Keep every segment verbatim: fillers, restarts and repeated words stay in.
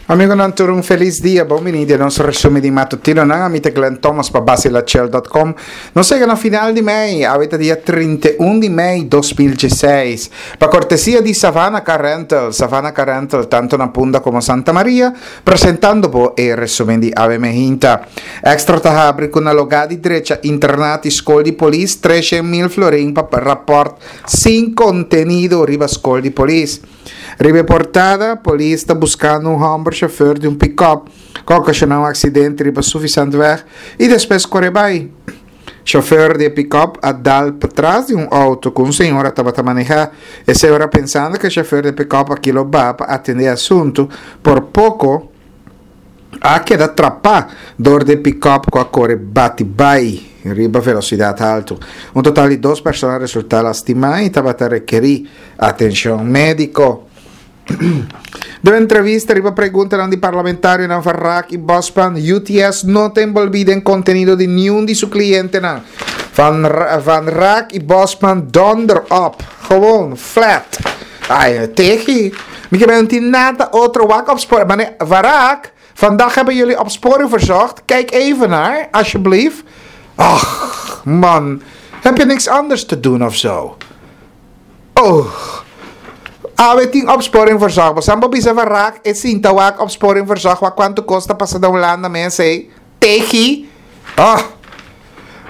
Amigonan tur un felis dia, bon bini den nos resumen di matutinonan. Ami ta Glenn Thomas pa Bacilachel dot com. Nos yega na final di mei, awe ta dia trinta i un di mei dos mil diesseis. Pa cortesia di Savannah Car Rental, Savannah Car Rental tanto na Punda como Santa Maria, presentando bo e resumen di awe mehinta. Extra ta habri cu na lugar di drecha internat y school di polis, trescientos mil florin pa rapport sin contenido riba school di polis. Riba portada, polis ta buscando un homber chauffeur di un pick-up que ocasionou un accidente riba Suffisantweg y despues core bay. Chauffeur di pick-up a dal patras di un auto cu un señora tabata maneja. E señora pensando cu e chauffeur di pick-up aki lo ba pa atende asunto, por poco a keda trapa door di pick-up cu a core bati bay riba velocidad alto. Un total di dos persona a resulta lastima y tabata requeri atencion medico. De entrevista riba pregunta di parlamentario nan Van Raak y Bosman, U T S no ta envolvi den contenido di ningun di su clientenan. Van Ra-, Van Raak y Bosman donder op. Gewoon, flat. Ay, tegi. Mi ke no tin nada otro wak op spoor. Maar nee, Van Raak, vandaag hebben jullie opsporing verzocht. Kijk even naar, alsjeblieft. Ach, man. Heb je niks anders te doen of zo? Oh. A W tien opsporing verzocht. Maar Sambo bisa Van Raak is sinta wak opsporing verzocht. Wat quanto costa passa da Holanda, mensen? Tegi. Ah.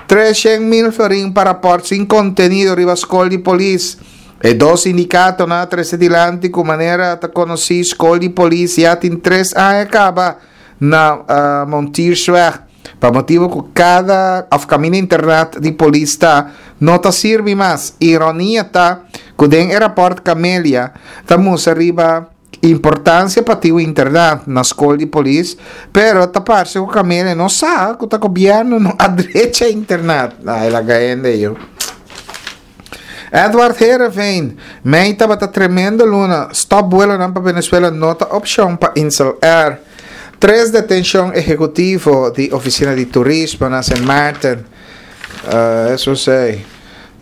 Trescientos mil florin para rapport sin contenido riba school di polis. E dos sindicato na tres dilanti ku manera ta conocí school di polis ya tin tres años acaba na, uh, Montiersweg. Pa motivo ku cada of camino internet di polis ta no ta sirve mas. Ironia ta ku den e rapport Camelia ta musa riba importancia pa ti internet na school di polis, pero ta parce ku Camelia no sa ku ta gobierno no adrecha internet. Ai, la gaende yo. Edward Heerenveen, mei tabata tremendo luna, stop vuelo nan pa Venezuela no ta opción pa Insel Air. Tres detención ejecutivo di Oficina di Turismo na Saint Martin. Uh, eso sei.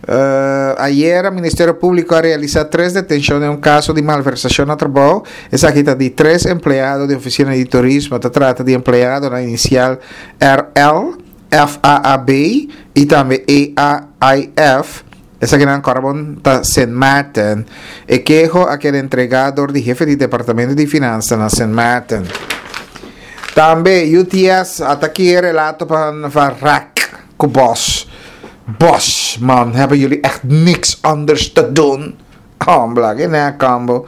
Uh, ayer el Ministerio Público ha realizado tres detenciones en un caso de malversación a trabajo. Esa quita de tres empleados de Oficina de Turismo. Se trata de empleado la inicial R L, F A A B y también E A I F. Esa que en Carbón ta Saint Martin. E quejo a que el entregador de jefe de Departamento de Finanzas na Saint Martin. También U T S ataque relato van Van Raak Bos. Bos, man, hebben jullie echt niks anders te doen? Oh, bla, que nada, combo.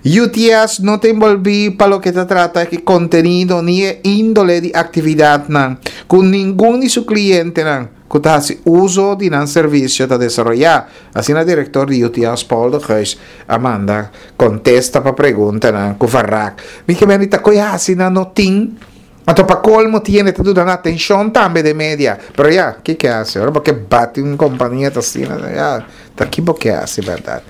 U T S no te envolví pa lo que te trata que contenido ni índole de actividad nan, con ningún de su cliente nan, que te hace uso de nan servicio de desarrollar. Así el director de U T S, Paul de Geus, Amanda, contesta pa pregunta nan, ku Van Raak. Mi que venita, koe hace nan no tin? Anto pa colmo tiene te duda atención también de media. Pero ya, ¿qué que hace? Ahora porque bate una compañía así, ¿no? Ya, está aquí porque hace, ¿verdad?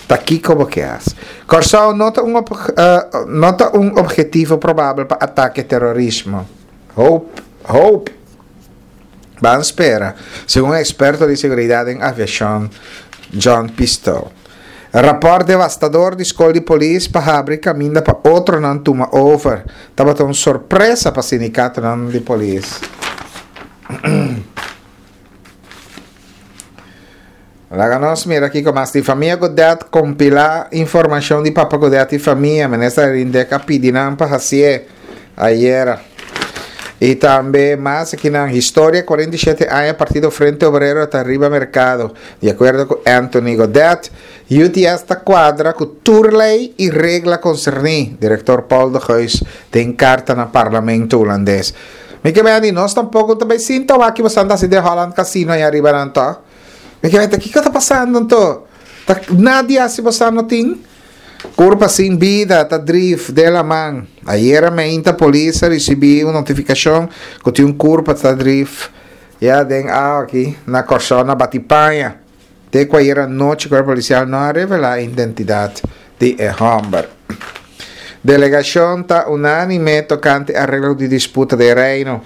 Está aquí como que hace. Corsao nota un ob-, eh, nota un objetivo probable para ataque terrorismo. Hope, hope. Van espera, según experto de seguridad en aviación, John Pistol. Rapport devastador di school di polis pa habri caminda pa otro nan tuma over. Tabata un sorpresa pa sindicato nan di polis. Laga nos mira aqui com mais de família Godett compilar informação de Papa Godett e família. Ministra Rindeca pedindo para fazer ayer. E também mais aqui na história, quarenta e sete anos, Partido Frente Obrero está arriba mercado. De acordo com Anthony Godett, U T S está quadra com turlei e regla concerni. Diretor Paul de Geus tem carta no parlamento holandês. Me que bem, nós tampouco também sinto aqui você anda assim de Holland Casino aí arriba não tá? Me que bem, o que está passando então? Tá, nadie se você não tem? Curva sin vida, tá drift de la man. Ayer a meinta polícia recebi uma notificação que tinha um curva tá drift. Já den a aqui na Corsona Batipanha. Até que ayer a noite o corpo policial não revela a identidade de Humber. Delegação tá unânime tocante arreglo de disputa de reino.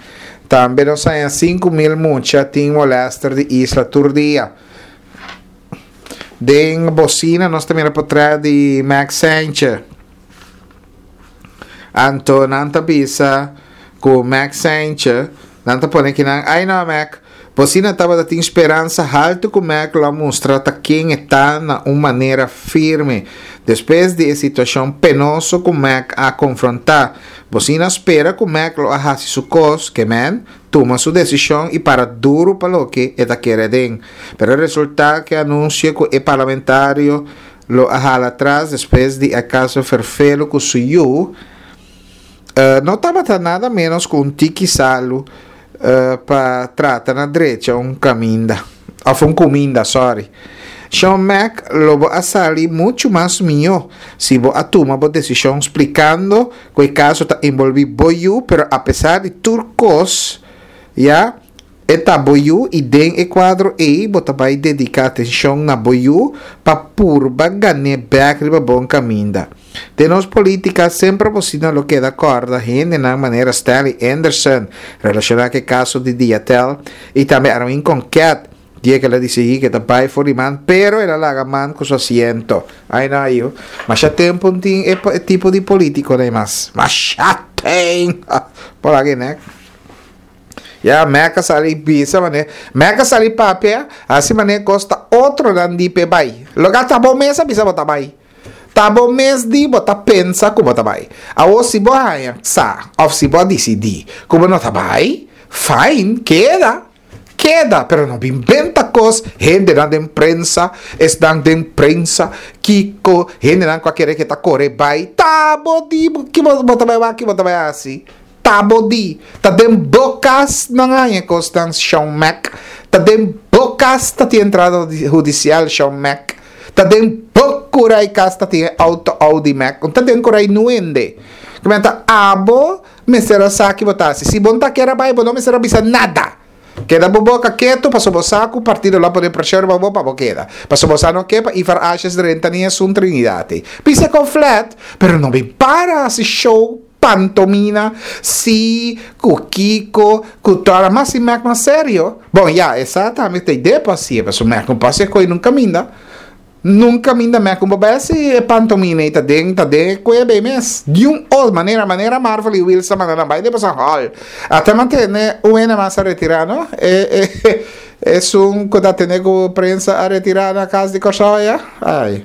Também não saem cinco mil mucha tem molester de Isla Turdia. Den bocina, nós também era por trás de Max Sanchez. Anto nan ta bisa ku Mac Saintje, nan ta pone ku nan, ai no Mac, bosina tabatin speransa haltu ku Mac lo mustra ta ken e ta na un manera firme. Despues di e situashon penoso ku Mac a konfrontá, bosina spera ku Mac lo a hasi su kos, ke men, tuma su desishon i para duru pa loke e ta kere aden. Pero resultá ku anunsio ku e parlamentario lo a hala atras despues di e kaso ferfelu ku su yu, uh, no tabata nada menos ku un tiki salu uh, pa trata na drecha un kaminda. Òf un kuminda, sorry. Sean Mac lo bo a sali muchu mas mihó si bo a tuma bo desishon splikando ku e kaso ta envolví bo yu, pero apesar di tur kos, ya, e ta bo yu i den e kuadro ei bo ta bai dediká atenshon na bo yu pa purba gan'é bèk riba bon kaminda. Den nos polítika semper bosina lo keda kòrda hendenan manera Stanley Anderson relashoná ku e kaso di Diatel i tambe Armin Konket dia ku el a disidí ku e ta bai for di man pero el a laga man ku su asiento. Ai no ayu. Masha tempu no tin e tipo di polítiko ei mas. Masha tempu! Por aki nek. Ya Mac a sali bisa mane. Mac a sali papia hasi mane kos ta otronan di p'e bai. Loke ta bo mes a bisa bo ta bai. Ta bo mes di bo ta pensa ku bo ta bai. Awor si bo haña sa òf si bo a disidí ku bo no ta bai, fine, keda. Keda, pero no bin benta kos, hendenan den prensa, esnan den prensa, kiko, hendenan ku a kere ke ta kore bai, ta bo di ki bo ta bai wak, ki bo ta bai hasi, ta bo di, ta den bo kas nan haña e kosnan, Shon Mac, ta den bo kas ta tin entrada hudisial, Shon Mac, ta den bo kura i kas ta tin e outo Audi Mac, ta den kura i nuende, kimen ta abo mester a sa ki bo ta hasi, si bo no ta kere bai bo no mester a bisa nada. Keda bo boka ketu pasobra bo sa ku partido lo a pone preshon riba bo pa bo keda. Pasobra bo sa no ke pa Ivar Asjes drenta ni esun Trinidad ei. Bisa kon flat, pero no bin para hasi show, pantomina, si, ku kiko, ku tora. Mas si mek mas serio. Bon ya, e sa tambe ta idea pa hasié, pasobra mek no por hasi e koe nunka minda. Nunka minda meh ku bo bai hasi e pantomina ei ta den ta den e kueba ei mes. Di un ot manera, manera Marvel i Wills ta manda nan bai den pasan hòl. Ata mantene un hende mas a retirá no. E e esun ku ta tene ku prensa a retirá na kas di Kòrsou ya. Ai.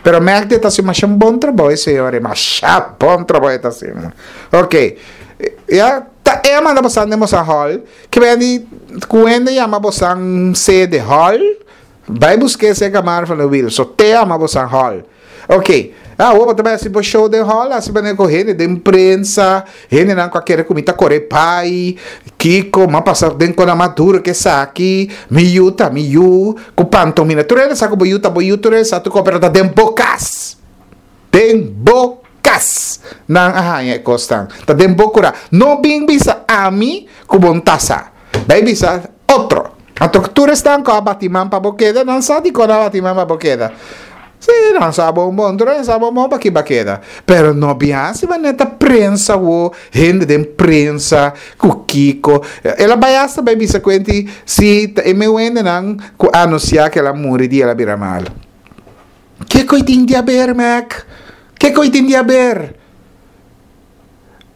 Pero Magdi ta hasi masha un bon trabou e señor ei, masha bon trabou e ta hasi. Oke. Ya ta e a manda bosan den bosan hòl. Ke beni ku hende yama bosan sede hòl? Bai busk'é serka Marvin lo Will. So te ama bo san hall. Ok. Awor bo ta bai hasi bo show den hall, hasi manera ku hende den prensa, hendenan ku a kere ku mi ta kore bai, kiko, m'a pasa den kona mas duro ke esaki, mi yu ta mi yu, ku pantomina. Tur hende sa ku bo yu ta bo yu, tur hende sa tur kos, pero ta den bo kas. Den bo kas nan a haña e kosnan. Ta den bo kura. No bin bisa ami ku bo no ta sa. Bai bisa otro. Anto tur esnan ku a bati man pa bo keda, nan sa dikon nan a bati man pa bo keda. Sí, nan sa bon bon, tur nan sa bon bon pa ki bo a keda. Pero no bin hasi manera ta prensa wo, hende den prensa ku kiko. El a bai asta bai bisa kuenti si ta e meu hendenan ku a anunsiá ku el a muri di el a bira malu. Kiko i tin di haber, Mac? Kiko i tin di haber?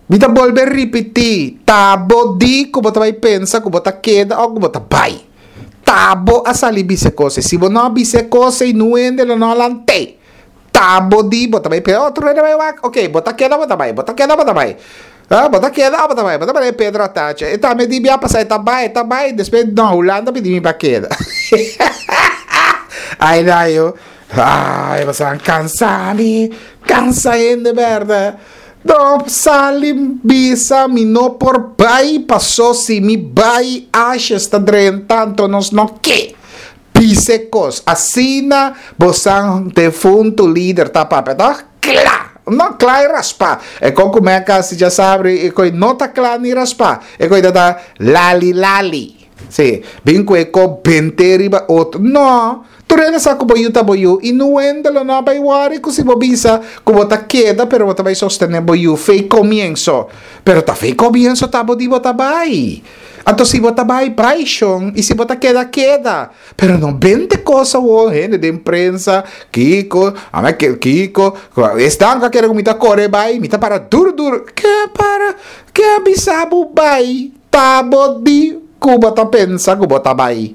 Mi ta bolbe ripití, ta bo di ku bo ta bai pensa ku bo ta keda òf ku bo ta bai. Ta bo a sali bisa e kos ei. Si bo no a bisa e kos ei, nu hende lo no a lant'é. Ta bo di bo ta bai pensa, oh, tur hende bai wak. Oké, bo ta keda òf bo ta bai? Bo ta keda òf bo ta bai? Ah, bo ta keda òf bo ta bai? Bo ta bai Pedro Atacha. E tambe di bia pasá e ta bai, e ta bai. Despues, no, Hulanda pidi mi pa keda. Ai, dayo. Ai, bo sa kansa mi. Kansa hende bèrdè. No sali bisa mi no por bai paso si mi bai ashes ta drenta anto nos no ke bisa e kos asina bosan defuntu lider ta papia ta kla no kla i raspa e kon ku meka si dja sabri e koi no ta kla ni raspa e koi ta ta lali lali. Si, bin ku e kos bent'é riba otro. No, tur hende sa ku bo yu ta bo yu i niun hende lo no a bai wòri ku si bo bisa ku bo ta keda pero bo ta bai sostené bo yu fei komienso. Pero ta fei komienso ta bo di bo ta bai. Anto si bo ta bai, bai shon, i si bo ta keda, keda. Pero no bente kos awor, hende den prensa, kiko, ame ke kiko, esnan ku a kere ku mi ta kore bai, mi ta para duru duru. Ke a para? Ke a bisa bo bai? Ta bo di ku bo ta pensa ku bo ta bai.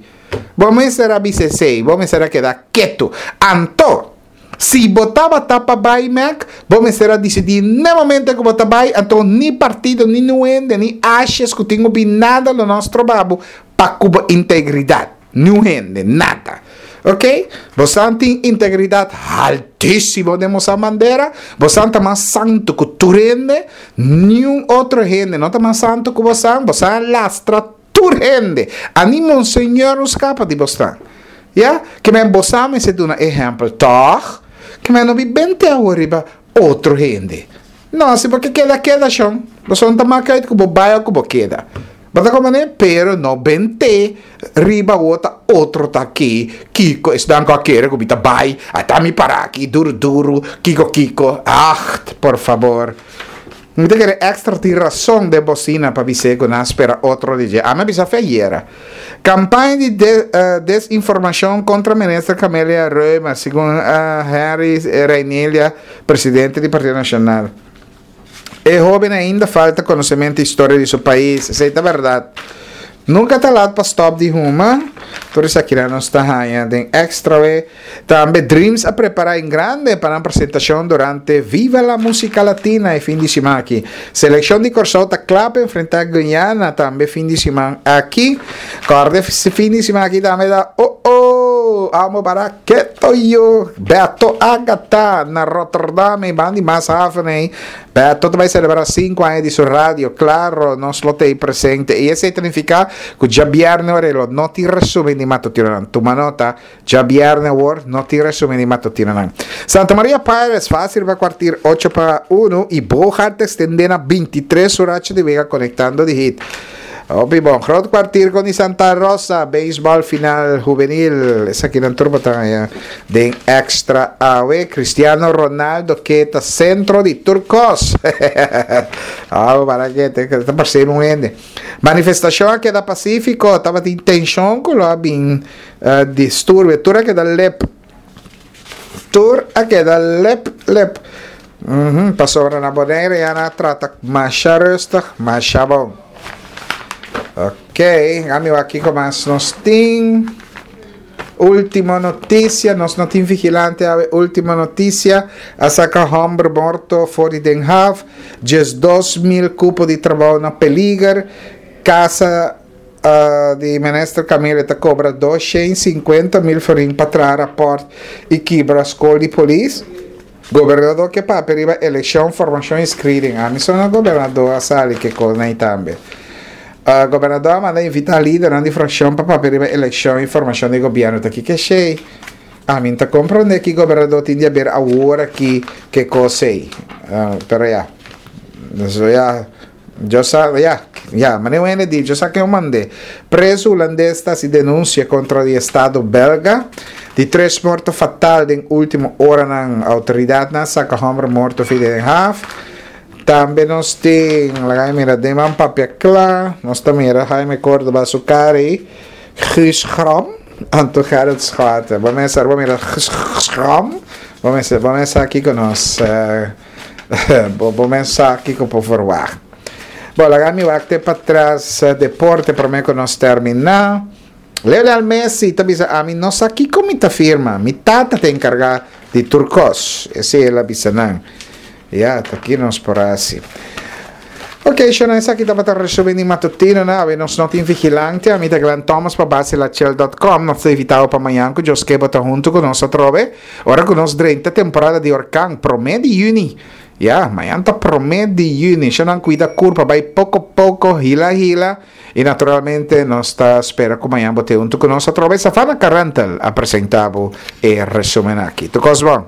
Bo mester a bisa esei, bo mester a keda ketu. Anto, Si bo tabata pa bai Mec, bo mester a disidí n'e momento ku bo ta bai, anto ni partido, ni niun hende, ni ashes ku tin hopi nada lo no stroba bo pa ku bo integridat. Niun hende, nada. Ok? Bosan tin integridat haltísimo den bosan bandera, bosan ta mas santu ku tur hende, niun otro hende no ta mas santu ku bosan, bosan a lastra tur hende, ani Monseñor no skapa di bosnan. Ya, ke men bo sa mester duna ehèmpel, tòg? Ke men no bi bente awor riba otro hende. No, si bo ke keda, keda, shon. Bo son ta mak uit ku bo bai òf ku bo keda. Bo ta komprendé? Pero no bente riba awor ta otro ta aki, kiko esnan ku a kere ku mi ta bai, ata mi para aki duru duru, kiko kiko. Agt, por fabor. Mi ta kere Extra tin rason den bocina pa bis'é ku nan a spera otro di dje. Ami a bisa fe ayera. Kampaña di desinformashon kontra minister Camelia Römer, segun Henry Reinelia, presidente di Partido Nashonal. E hoben ainda falta konosementu historia di su pais. Esei ta bèrdat. Nunka ta lat pa stòp di huma. Tur esakinan nos ta haña den Extra we. Tambe Dreams a prepará en grande pa nan presentashon durante Viva la Musica Latina e fin di siman aki. Selekshon di Kòrsou ta kla pa enfrentá Guyana tambe fin di siman aki. Kòrda e fin di siman aki tambe ta Oh Oh! Amo para keto yo! Beto Agatha na Rotterdam e ban di Maashaven ei. Beto ta bai selebrá sinku aña di su radio. Klaro, nos lo ta ei presente. I esei ta nifiká ku djabièrnè ora lo no tin resumen di matutinonan. Tuma nota, djabièrnè awor no tin resumen di matutinonan. Santa Maria Pirates fásil pa kuartir ocho pa unu i Bogaert ta ekstendé na bintitres su racha di wega konektando di hit. Hopi bon. Groot kwartier con di Santa Rosa. Baseball final juvenil. Esakinan tur bo ta haña den Extra awe. Cristiano Ronaldo ke ta centro di tur kos. Awe para ke te ta parse un hende. Manifestacion a keda pacifico. Tabatin tension ku lo a bin uh, disturbio. Tur a keda lep. Tur a keda lep lep. Mm -hmm. Pasobra na Bonaire ya na trata masha rustig, masha bon. Ok, ami wak kiko mas nos tin. Último noticia, nos no tin vigilante awe. Último noticia, a saca homber morto for di Den Haag. Diesdos mil cupo di trabou na peliger. Casa di Minister Camille ta cobra dos shen sinkuenta mil florin pa traha raport y kibra scol di polis. Gobernador ke papia riba eleccion, formacion y screening. Ami so na gobernador a sali ke cosnan y tambe. Gobernador a manda invita lidernan di fraccion pa papia riba eleccion y formacion di gobierno. Ta kiko esey? Ami n'ta comprende ki gobernador tin di haber awor aki ke cos ey. Pero ya. So ya. Yo sa, ya, ya, manera un hende di, yo sa ken mand'é. Preso hulandes ta hasi denunsia kontra di estado belga di tres morto fatal den último oranan. Outoridatnan a saka hòmber morto fi den haf. Tambe nos tin, laga mi mira den man papia kla, nos ta mira Jaime Cordoba su kara ei, Guus Grom, anto Gerrit Schouten. Bo mester, bo mira Guus Grom, bo mester, bo mester sa kiko nos. Bo bo mes sa kiko por verwagt. Bo, laga mi wak te patras deporte prome ku nos terminá. Lionel Messi ta bisa ami no sa kiko mi ta firma. Mi tata ta enkargá di tur kos. Esei el a bisa nan. Ya, ta ki nos por hasi. Ok, shona esaki tabata resumen di matutino na awe nos no tin vigilante. Ami ta Glenn Thomas pa basilachel dot com. Nos ta invitabo pa mañan ku Dios ke bo ta huntu ku nos atrobe. Ora ku nos drenta temporada di orkan, promé di yüni, ya, mañan ta promé di yüni, shonnan kuida kurpa bai poko poko, hila hila, i naturalmente nos ta spera ku mañan bo te huntu ku nos atrobe. Safana Karantel a presenta bo e resumen aki. Tur kos bon.